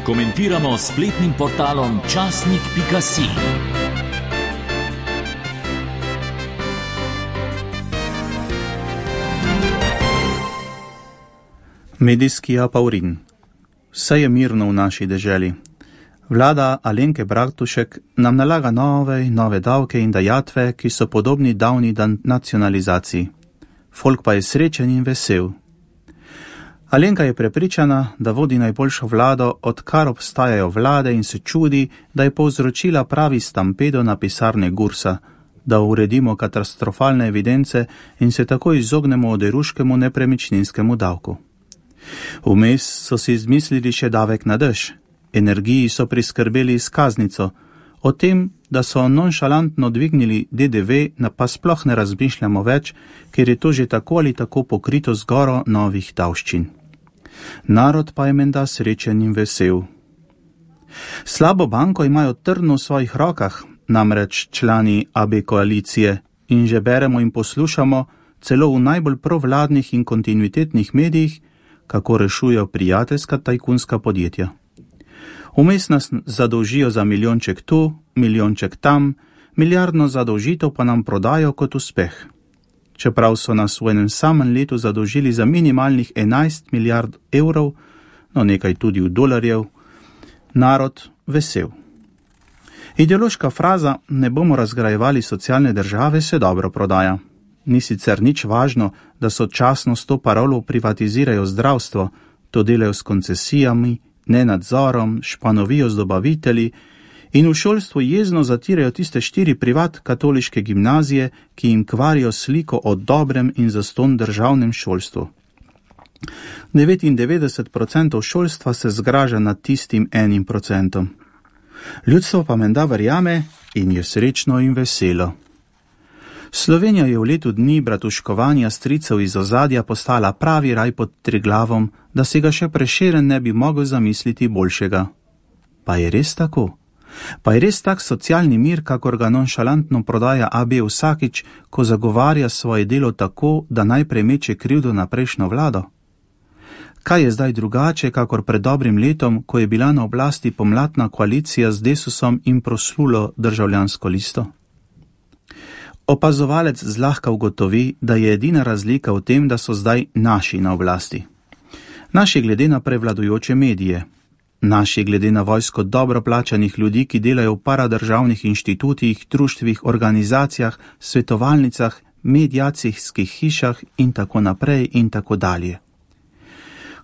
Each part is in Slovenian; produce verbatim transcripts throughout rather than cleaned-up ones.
komentiramo s spletnim portalom časnik pika si. Medijski apaurin. Vse je mirno v naši deželi. Vlada Alenke Bratušek nam nalaga nove in nove davke in dajatve, ki so podobni davni nacionalizaciji. Folk pa je srečen in vesel. Alenka je prepričana, da vodi najboljšo vlado, odkar obstajajo vlade, in se čudi, da je povzročila pravi stampedo na pisarne Gursa, da uredimo katastrofalne evidence in se tako izognemo oderuškemu nepremičninskemu davku. Vmes so si izmislili še davek na dež, energiji so priskrbeli izkaznico, o tem, da so nonšalantno dvignili D D V, pa sploh ne razmišljamo več, ker je to že tako ali tako pokrito z goro novih davščin. Narod pa je menda srečen in vesel. Slabo banko imajo trdno v svojih rokah, namreč člani A B koalicije, in že beremo in poslušamo, celo v najbolj provladnih in kontinuitetnih medijih, kako rešujejo prijateljska tajkunska podjetja. Vmes nas zadolžijo za milijonček tu, milijonček tam, milijardno zadolžitev pa nam prodajo kot uspeh. Čeprav so nas v enem samem letu zadolžili za minimalnih enajst milijard evrov, no nekaj tudi v dolarjev, narod vesel. Ideološka fraza "ne bomo razgrajevali socialne države" se dobro prodaja. Ni sicer nič važno, da sočasno s to parolo privatizirajo zdravstvo, to delajo s koncesijami, nenadzorom, španovijo z dobavitelji in v šolstvu jezno zatirajo tiste štiri privat katoliške gimnazije, ki jim kvarijo sliko o dobrem in zastonj državnem šolstvu. devetindevetdeset procentov šolstva se zgraža nad tistim enim procentom. Ljudstvo pa menda verjame in je srečno in veselo. Slovenija je v letu dni bratuškovanja stricev iz ozadja postala pravi raj pod Triglavom, da si ga še Prešeren ne bi mogel zamisliti boljšega. Pa je res tako? Pa je res tak socialni mir, kakor ga nonšalantno prodaja A B vsakič, ko zagovarja svoje delo tako, da najprej meče krivdo na prejšnjo vlado? Kaj je zdaj drugače, kakor pred dobrim letom, ko je bila na oblasti pomladna koalicija z Desusom in proslulo Državljansko listo? Opazovalec zlahka ugotovi, da je edina razlika v tem, da so zdaj naši na oblasti. Naši glede na prevladujoče medije, naši glede na vojsko dobro plačanih ljudi, ki delajo v paradržavnih inštitutih, društvih, organizacijah, svetovalnicah, mediacijskih hišah in tako naprej in tako dalje.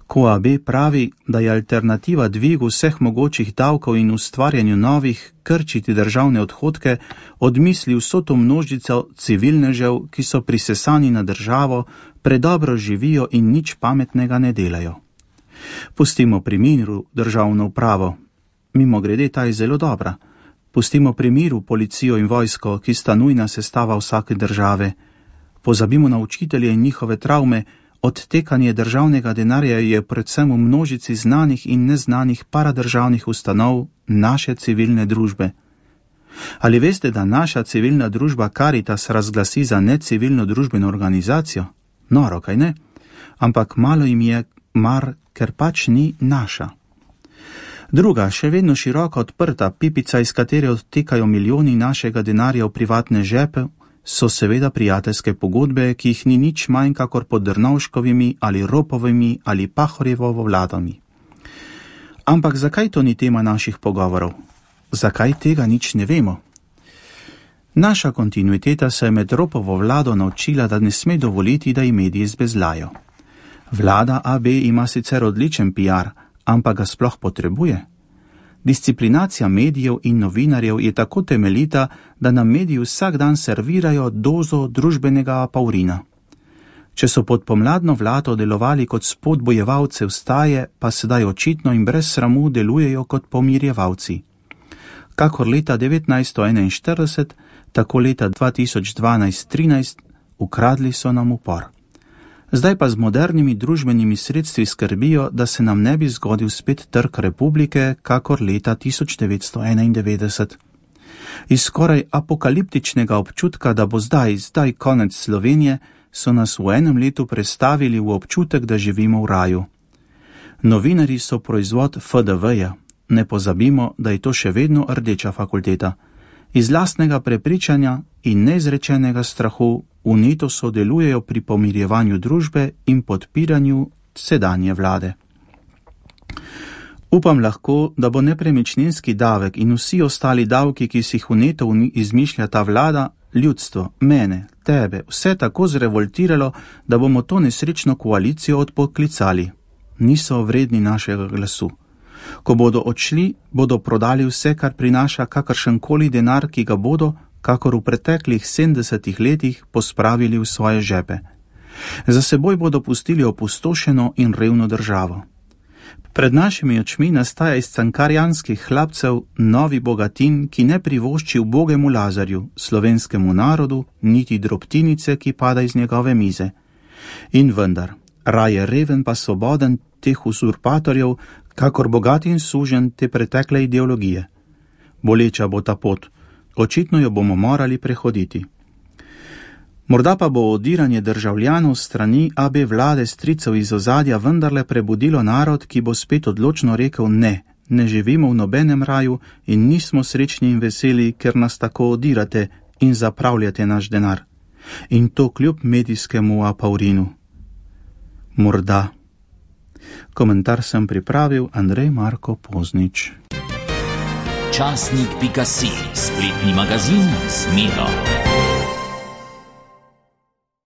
Ko A B pravi, da je alternativa dvigu vseh mogočih davkov in ustvarjanju novih, krčiti državne odhodke, odmisli vso to množico civilnežev, ki so prisesani na državo, predobro živijo in nič pametnega ne delajo. Pustimo pri miru državno upravo. Mimogrede, ta je zelo dobra. Pustimo pri miru policijo in vojsko, ki sta nujna sestava vsake države. Pozabimo na učitelje in njihove travme. Odtekanje državnega denarja je predvsem v množici znanih in neznanih paradržavnih ustanov naše civilne družbe. Ali veste, da naša civilna družba Caritas razglasi za necivilno družbeno organizacijo? Noro, kaj ne? Ampak malo jim je mar, ker pač ni naša. Druga, še vedno široko odprta pipica, iz katere odtekajo milijoni našega denarja v privatne žepe, so seveda prijateljske pogodbe, ki jih ni nič manj kakor pod Drnovškovimi ali Ropovimi ali Pahorjevovo vladami. Ampak zakaj to ni tema naših pogovorov? Zakaj tega nič ne vemo? Naša kontinuiteta se je med Ropovo vlado naučila, da ne sme dovoliti, da ji mediji zbezlajo. Vlada A B ima sicer odličen P R, ampak ga sploh potrebuje. Disciplinacija medijev in novinarjev je tako temeljita, da nam mediji vsak dan servirajo dozo družbenega apaurina. Če so pod pomladno vlado delovali kot spodbojevalce vstaje, pa sedaj očitno in brez sramu delujejo kot pomirjevalci. Kakor leta devetnajststo enainštirideset, tako leta dva tisoč dvanajst trinajst, ukradli so nam upor. Zdaj pa z modernimi družbenimi sredstvi skrbijo, da se nam ne bi zgodil spet trk republike, kakor leta tisoč devetsto enaindevetdeset. Iz skoraj apokaliptičnega občutka, da bo zdaj, zdaj konec Slovenije, so nas v enem letu prestavili v občutek, da živimo v raju. Novinarji so proizvod F D V-ja, ne pozabimo, da je to še vedno rdeča fakulteta. Iz lastnega prepričanja in neizrečenega strahu vneto sodelujejo pri pomirjevanju družbe in podpiranju sedanje vlade. Upam lahko, da bo nepremičninski davek in vsi ostali davki, ki si jih vneto izmišlja ta vlada, ljudstvo, mene, tebe, vse tako zrevoltiralo, da bomo to nesrečno koalicijo odpoklicali. Niso vredni našega glasu. Ko bodo odšli, bodo prodali vse, kar prinaša kakršenkoli denar, ki ga bodo, kakor v preteklih sedemdesetih letih, pospravili v svoje žepe. Za seboj bodo pustili opustošeno in revno državo. Pred našimi očmi nastaja iz cankarjanskih hlapcev novi bogatin, ki ne privošči ubogemu Lazarju, slovenskemu narodu, niti drobtinice, ki pada iz njegove mize. In vendar, raje reven pa svoboden teh uzurpatorjev, kakor bogat in sužen te pretekle ideologije. Boleča bo ta pot, očitno jo bomo morali prehoditi. Morda pa bo odiranje državljanov strani A B vlade stricev iz ozadja vendarle prebudilo narod, ki bo spet odločno rekel ne, ne živimo v nobenem raju in nismo srečni in veseli, ker nas tako odirate in zapravljate naš denar. In to kljub medijskemu apaurinu. Morda. Komentar sem pripravil Andrej Marko Poznič. Časnik pika si, spletni magazin z Miro.